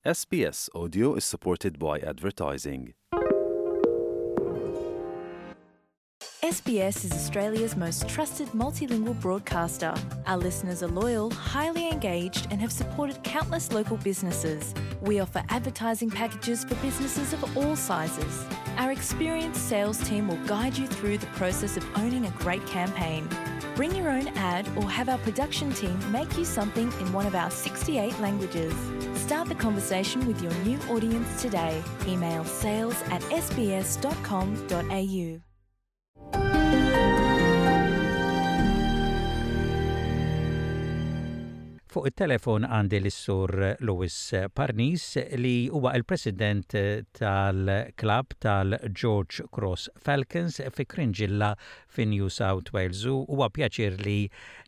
SBS Audio is supported by advertising. SBS is Australia's most trusted multilingual broadcaster. Our listeners are loyal, highly engaged, and have supported countless local businesses. We offer advertising packages for businesses of all sizes. Our experienced sales team will guide you through the process of owning a great campaign. Bring your own ad or have our production team make you something in one of our 68 languages. Start the conversation with your new audience today. Email sales at sbs.com.au. Fuq it-telefon għandi lis-Sur Louis Parnis li huwa l-President tal-klabb tal-George Cross Falcons fi Cringilla fi New South Wales u huwa pjaċir li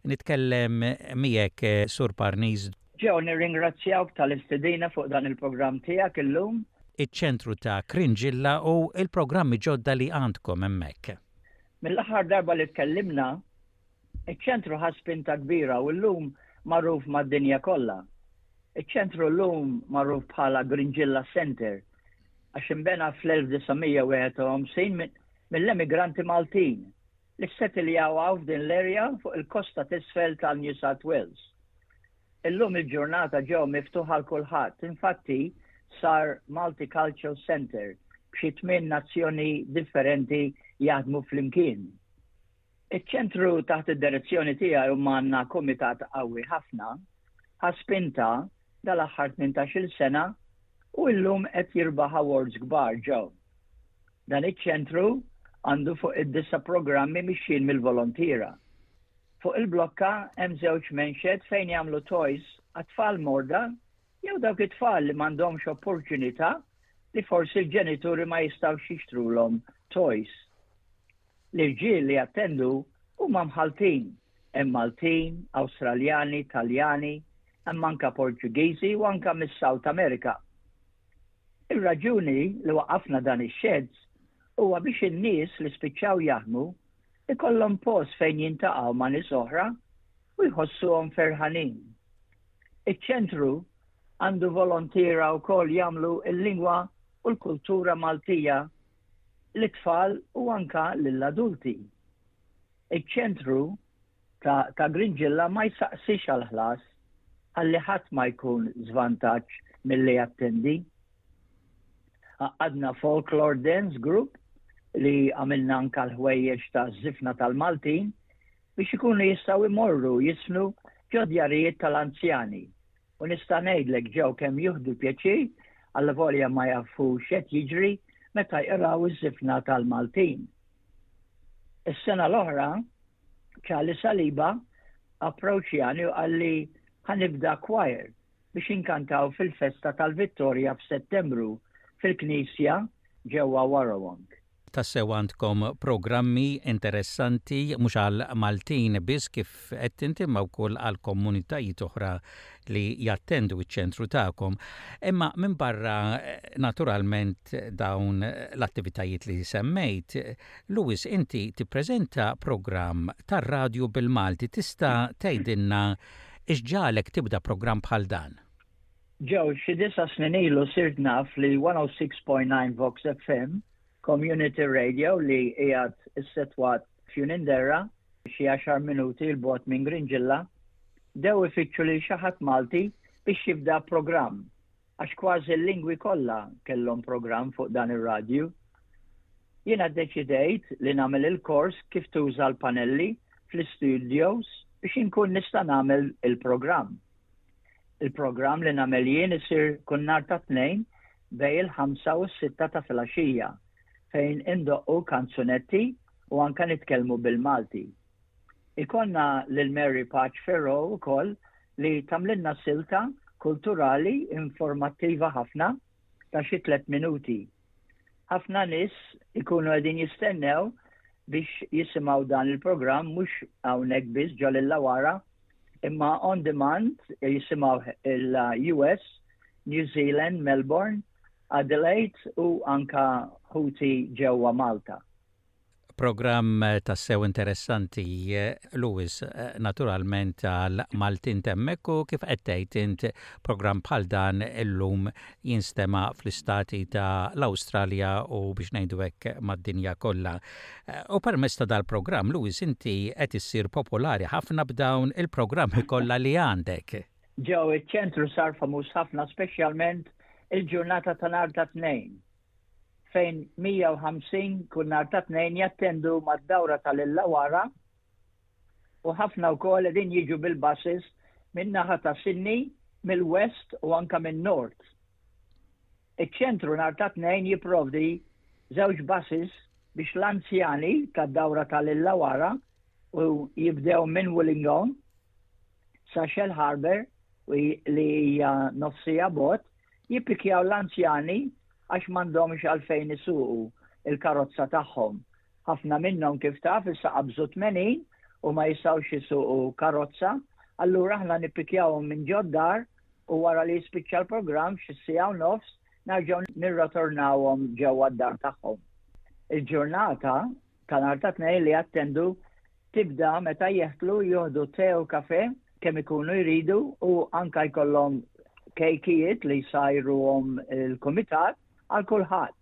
nitkellem miegħek Sur Parnis. Joe, nirringrazzjawk tal-istedina fuq dan il-programm tiegħek illum. Iċ-ċentru ta' Cringilla u l-programmi ġodda li għandkom hemmhekk. Mill-aħħar darba li tkellimna, Iċ-ċentru ħa spinta kbira u llum magħruf mad-dinja kollha. Iċ-ċentru llum magħruf bħala Gringilla Centre għax inbena fl-1951 mill-emigranti Maltin li ssetiljaw hawn f'din l-area fuq il-kosta t'isfel ta' New South Wales. Illum il-ġurnata ġew miftuħ għal kulħadd, infatti sar Multicultural Centre b'xi tmien nazzjoni differenti jaħdmu flimkien. Iċ-ċentru taħt id-direzzjoni tiegħi u għandna kumitat qawwi ħafna, ħa spinta dal-aħħar 18-il sena u illum qed jirbaħ awards kbar ġew. Dan iċ-ċentru għandu fuq id-disa programmi mixjin mill-volontiera. Fuq il-blokka hemm żewġ menxed fejn jagħmlu toys għat-tfal morda jew dawk it-tfal li m'għandhomx opportunità li forsi l-ġenituri ma jistgħux jixtrulhom toys. L-irġiel li jattendu huma mħalltin, hemm Maltin, Awstraljani, Taljani, hemm anka Portugiżi u anka mis-South America. Ir-raġuni li waqqafna dan ix-sheds huwa biex in-nies li spiċċaw jaħdmu ikollhom post fejn jintaqgħu ma' nies oħra u jħossuhom ferħanin. Iċ-ċentru għandu volontiera wkoll jagħmlu l-lingwa u l-kultura Maltija lit-tfal u anka lill-adulti. Iċ-ċentru ta' ta' Gringilla ma jsaqsix għal ħlas ħalli ħadd ma jkun żvantaġġ milli jattendi. Għaqqadna Folklore Dance Group li għamilna anka l-ħwejjeġ ta' żifna tal-Maltin biex ikunu jistgħu jmorru jiżfnu ġo djarijiet tal-anzjani U nista' ngħidlek ġew kemm jieħdu pjaċir allavolja ma jafux x'qed jiġri meta jqraw iż-żifna tal-Maltin. Is-sena l-oħra Charlie Saliba approċjani u qalli ħa nibda choir biex inkantaw fil-festa tal-Vittorja f'Settembru fil-knisja ġewwa Warrawong. Tassew għandkom programmi interessanti mhux għal Maltin biss kif għedt inti imma wkoll għal komunitajiet oħra li jattendu ċ-ċentru tagħkom. Imma minbarra naturalment dawn l-attivitajiet li semmejt, Louis inti tippreżenta programm tar-radju bil-Malti. Tista' tgħidilna x'ġagħlek tibda programm bħal dan? Joe, xi disa' snin ilu sirt naf li 106.9 Vox FM, community radio li qiegħed issetwat f'Unindera, xi għaxar minuti 'l bogħod minn Gringilla, bdew ifittxu lil xi ħadd Malti biex jibda programm, għax kważi l-lingwi kollha kellhom programm fuq dan ir-radju. Jiena ddeċidejt li nagħmel il-kors kif tuża l-panelli fl-istudios biex inkun nista' nagħmel il-programm. Il-programm li nagħmel jien isir kull nhar ta' Tnejn bejn il-ħamsa u s-sitta ta' filgħaxija fejn indoqqu kanzunetti u anke nitkellmu bil-Malti. Ikollna lil Mary Pace Ferro wkoll li tagħmlilna silta kulturali informattiva ħafna ta' xi tlett minuti. Ħafna nies ikunu qegħdin jistennew biex jisimgħu dan il-programm mhux hawnhekk biss ġo Lillawara imma on demand jisimgħu il-US, New Zealand, Melbourne, Adelaide u anka ħuti ġewwa Malta. Programm tassew interessanti, Louis, naturalment għal Maltin t'hemmhekk u kif qed tgħid int programm bħal dan illum jinstema' fl-istati ta' l-Awstralja u biex ngħidu hekk mad-dinja kollha. U permezz ta' dal-programm, Louis, inti qed issir popolari ħafna b'dawn il-programmi kollha li għandek. Joe, iċ-ċentru sar famuż ħafna speċjalment il-ġurnata ta' nhar ta' Tnejn. fejn 150 kull nhar ta' Tnejn jattendu mad-dawra tal-Illawarra u ħafna wkoll qegħdin jiġu bil-buses min-naħa ta' Sydney, mill-West u anke min-North. Iċ-ċentru nhar ta' Tnejn jipprovdi żewġ buses biex l-anzjani tad-dawra tal-Illawarra u jibdew minn Wollongong sa Shellharbour li hija nofs siegħa bogħod jippikjaw l-anzjani għax m'għandhomx għalfejn isuqu l-karozza tagħhom. Ħafna minnhom kif taf issa qabżu 80 u ma jistgħux isuqu karozza, allura aħna nippikjawhom minn ġod-dar u wara li jispiċċa l-programm f'xi siegħa u nofs nerġgħu nirrotornawhom ġewwa d-dar tagħhom. Il-ġurnata ta' nhar ta' Tnejn li jattendu tibda meta jeħtlu jieħdu te u kafe kemm ikunu jridu u anka jkollhom kejkijiet li jsajruhom il-kumitat għal kulħadd.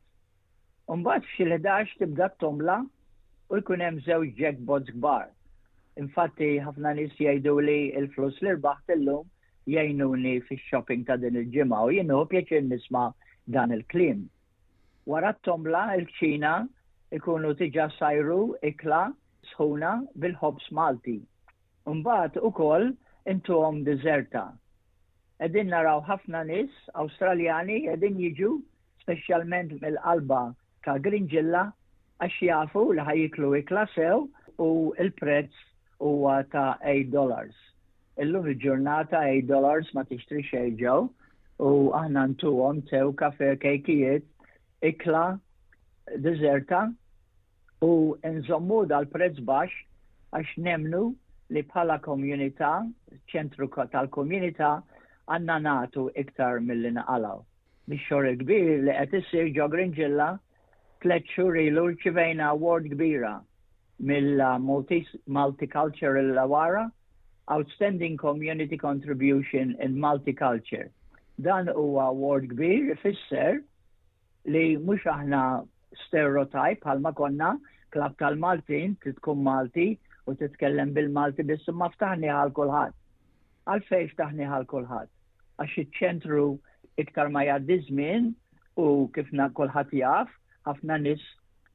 Imbagħad f'xi l-11 tibda t-tombla u jkun hemm żewġ jackpots kbar. Infatti ħafna nies jgħidu li l-flus li rbaħt illum jgħinuni fix-shopping ta' din il-ġimgħa u jien nieħu pjaċir nisma' dan il-kliem. Wara t-tombla il-kċina ikunu diġà sajru ikla sħuna bil-ħobż Malti. Imbagħad ukoll intuhom diżerta. Qegħdin naraw ħafna nies Awstraljani qegħdin jiġu speċjalment mill-qalba ta' Grinġilla għax jafu li ħa jieklu ikla sew u l-prezz huwa ta' $8. Illum il-ġurnata $8 ma tixtri xejn ġew u aħna ntuhom tew kafe, kejkijiet, ikla, diżerta u nżommu dal-prezz baxx għax nemmnu li bħala komunità, ċentru tal-komunità, għandna nagħtu iktar milli naqalgħu. Mix-xogħol il-kbir li qed issir ġo Grinġilla, tlett xhur ilu rċivejna award kbira mill-Multicultural Illawarra, Outstanding Community Contribution in Multiculture. Dan huwa award kbir ifisser li mhux aħna stereotype bħalma konna klabb tal-Maltin trid tkun Malti u titkellem bil-Malti biss imma ftaħni għal kulħadd. Għalfejn ftaħni għal kulħadd? Għax iċ-ċentru iktar ma jgħaddi żmien u kif kulħadd jaf, ħafna nies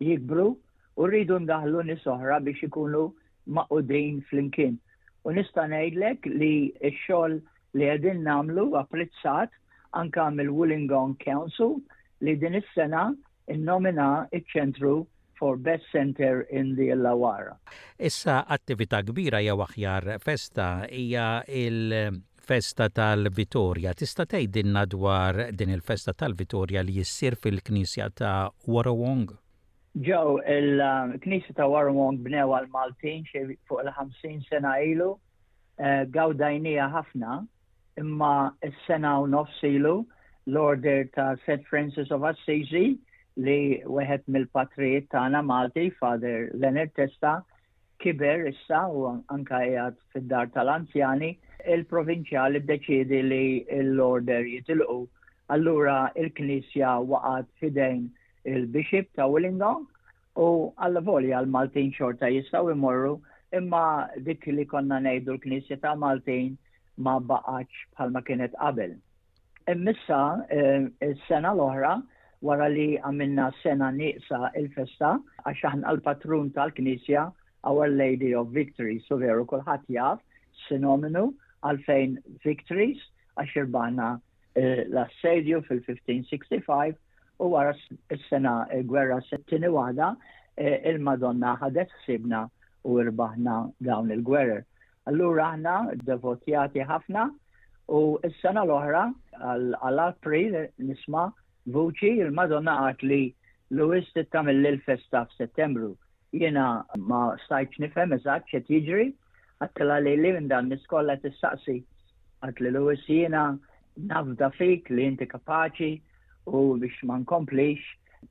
jikbru u rridu ndaħlu nies oħra biex ikunu magħqudin flimkien. U nista' ngħidlek li x-xogħol li qegħdin nagħmlu apprezzat anka mill-Wollongong Council li din is-sena innomina iċ-ċentru for Best Centre in the Illawarra. Issa attività kbira jew aħjar festa hija il-festa tal-Vitorja. Tista' tgħidilna dwar din il-festa tal-Vitorja li ssir fil-Knisja ta' Warrawong? Joe, il-Knisja ta' Warrawong bnewha l-Maltin xi fuq il-50 sena ilu. Eh, gawdajnija ħafna, imma s-sena u nofs ilu l-order ta' St. Francis of Assisi li wieħed mill-patrijiet tagħna Malti, Father Leonard Testa, kiber issa u anka qiegħed fid-dar tal-anzjani, il-provinċjal iddeċiedi li l-order jitilqu. Allura il-Knisja waqgħet f'idejn il-Bishop ta' Wollongong u allavolja l-Maltin xorta jistgħu jmorru imma dik li konna ngħidu l-Knisja ta' Maltin ma baqgħetx bħalma kienet qabel. Immissa eh, is-sena l-oħra wara li għamilna sena nieqsa il-festa għax aħna l-patrun tal-Knisja Our Lady of Victory, so veru kulħadd jaf sinominu għalfejn Victories għax irbaħna eh, l-assedju fil-1565 u wara s-sena gwerra settini waħda eh, il-Madonna ħadet ħsibna u irbaħna dawn il-gwerer. Allura aħna devotjati ħafna u s-sena l-oħra għal-April nisma' vuċi il-Madonna għat li Louis tittamil l-festa f'Settembru. Jiena ma stajtx nifhem eżatt x'qed jiġri, għedtilha lili minn dan nies kollha tistaqsi. Għedtli Louis jiena nafda fik li inti kapaċi u biex ma nkomplix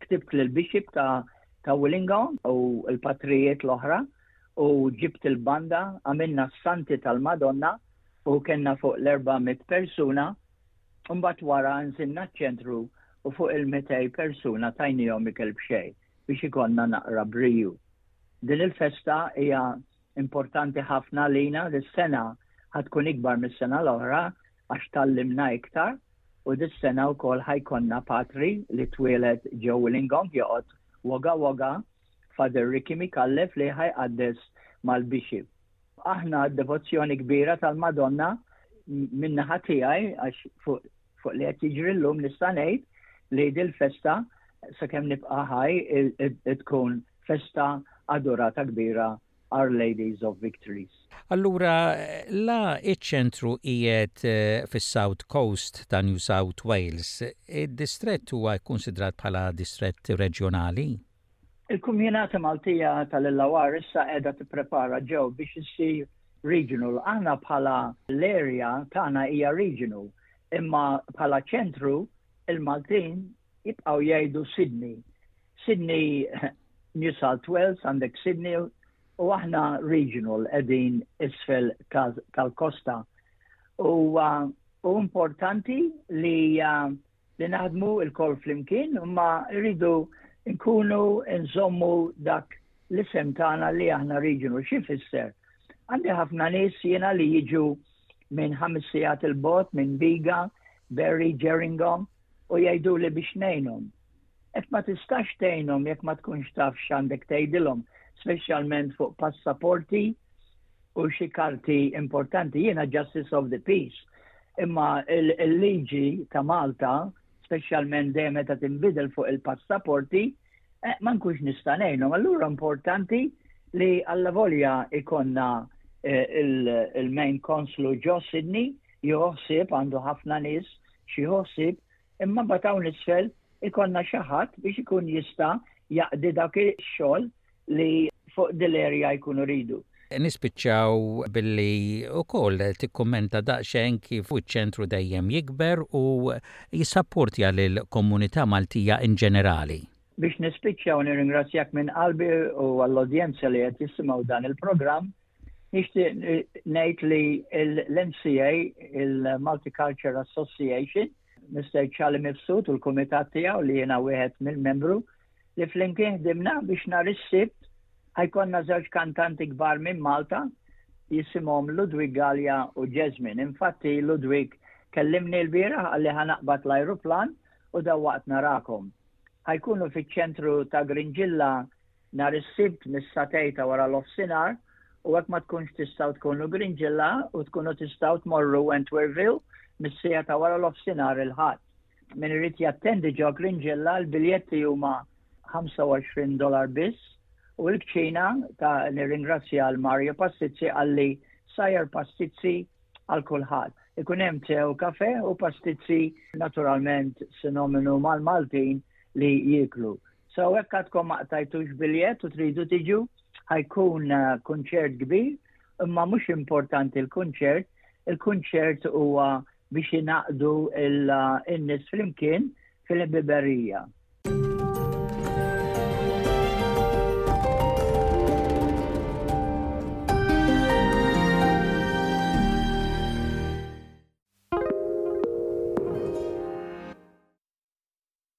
ktibt lil bishop ta' ta' Wollongong u l-patrijiet l-oħra u ġibt il-banda, għamilna s-Santi tal-Madonna u kellna fuq l-400 persuna, u mbagħad wara nżilna ċ-ċentru u fuq il-200 persuna tajnihom ikel b'xejn biex ikollna naqra briju. Din il-festa hija importanti ħafna għalina, dis-sena ħa tkun ikbar mis-sena l-oħra għax tgħallimna iktar u dis-sena wkoll ħa jkollna patri li twieled ġo Wollongong joqgħod Wagga Wagga, Father Ricky Micallef li ħa jqaddes mal-Bishop. Aħna d-devozzjoni kbira tal-Madonna min-naħa tiegħi għax fuq fuq li qed jiġri llum nista' ngħid li dil-festa sakemm nibqa' ħaj tkun festa adorata kbira Our Ladies of Victories. Allura la iċ-ċentru qiegħed eh, fis-South Coast ta' New South Wales, id-distrett huwa kkunsidrat bħala distrett reġjonali? Il-Kumjinata Maltija tal-Illawar issa qiegħda tipprepara ġew biex issir regional. Aħna bħala l-area tagħna hija regional, imma bħala ċentru il-Maltin jibqgħu jgħidu Sydney. Sydney, New South Wales, għandek Sydney u aħna regional qegħdin isfel tal-kosta. U u importanti li li naħdmu il-kol flimkien, imma rridu nkunu nżommu dak l-isem tagħna li aħna regional. Xi fisser? Għandi ħafna nies jiena li jiġu minn ħames sigħat il-bot, minn Biga, Berry, Gerringong, u jgħidu li biex ngħinhom. Hekk ma tistax tgħinhom jekk ma tkunx taf x'għandek tgħidilhom, speċjalment fuq passaporti u xi karti importanti. Jiena Justice of the Peace, imma il-liġi ta' Malta, speċjalment dejjem meta tinbidel fuq il-passaporti, eh, ma nkunx nista' ngħinhom. Allura importanti li allavolja ikonna eh, il-main consul ġo Sydney, jieħu għandu ħafna nies xi ħsieb, imma mbagħad hawn isfel ikollna xi ħadd biex ikun jista' jaqdi dak ix-xogħol li fuq dil-area jkunu ridu. Nispiċċaw billi wkoll tikkummenta daqsxejn kif iċ-ċentru dejjem jikber u jissapportja lill-komunità Maltija in ġenerali. Biex nispiċċaw nirringrazzjak minn qalbi u għall-udjenza li qed jisimgħu dan il-programm, nixtieq ngħid li l-MCA, il-Multicultural Association, Mr. Charlie Mifsud u l-kumitat tiegħu li jiena wieħed mill-membru li flimkien ħdimna biex nhar is-Sibt ħa jkollna żewġ kantanti kbar minn Malta jisimhom Ludwig Gallia u Jasmine. Infatti Ludwig kellimni l-bieraħ qalli ħa naqbad l-ajruplan u dawwaqt narakom. Ħa jkunu fiċ-ċentru ta' Grinġilla nhar is-Sibt mis-sagħtejn ta' wara l-offsinar u hekk ma tkunx tistgħu tkunu Grinġilla u tkunu tistgħu tmorru Wentworthville mis-siegħa ta' wara l-offsinar il-Ħadd. Min irid jattendi ġo Grinġilla l-biljetti huma 25 dollar biss u l-kċina ta' nirringrazzja l Mario Pastizzi qalli sajjar pastizzi għal kulħadd. Ikun hemm te u kafe u pastizzi naturalment sinominu mal-Maltin li jieklu. So hekk għadkom ma qtajtux biljett u tridu tiġu, ħa jkun eh, kunċert kbir, imma mhux importanti l-kunċert, il-kunċert huwa biex ingħaqdu il-nies flimkien fil-ħbiberija.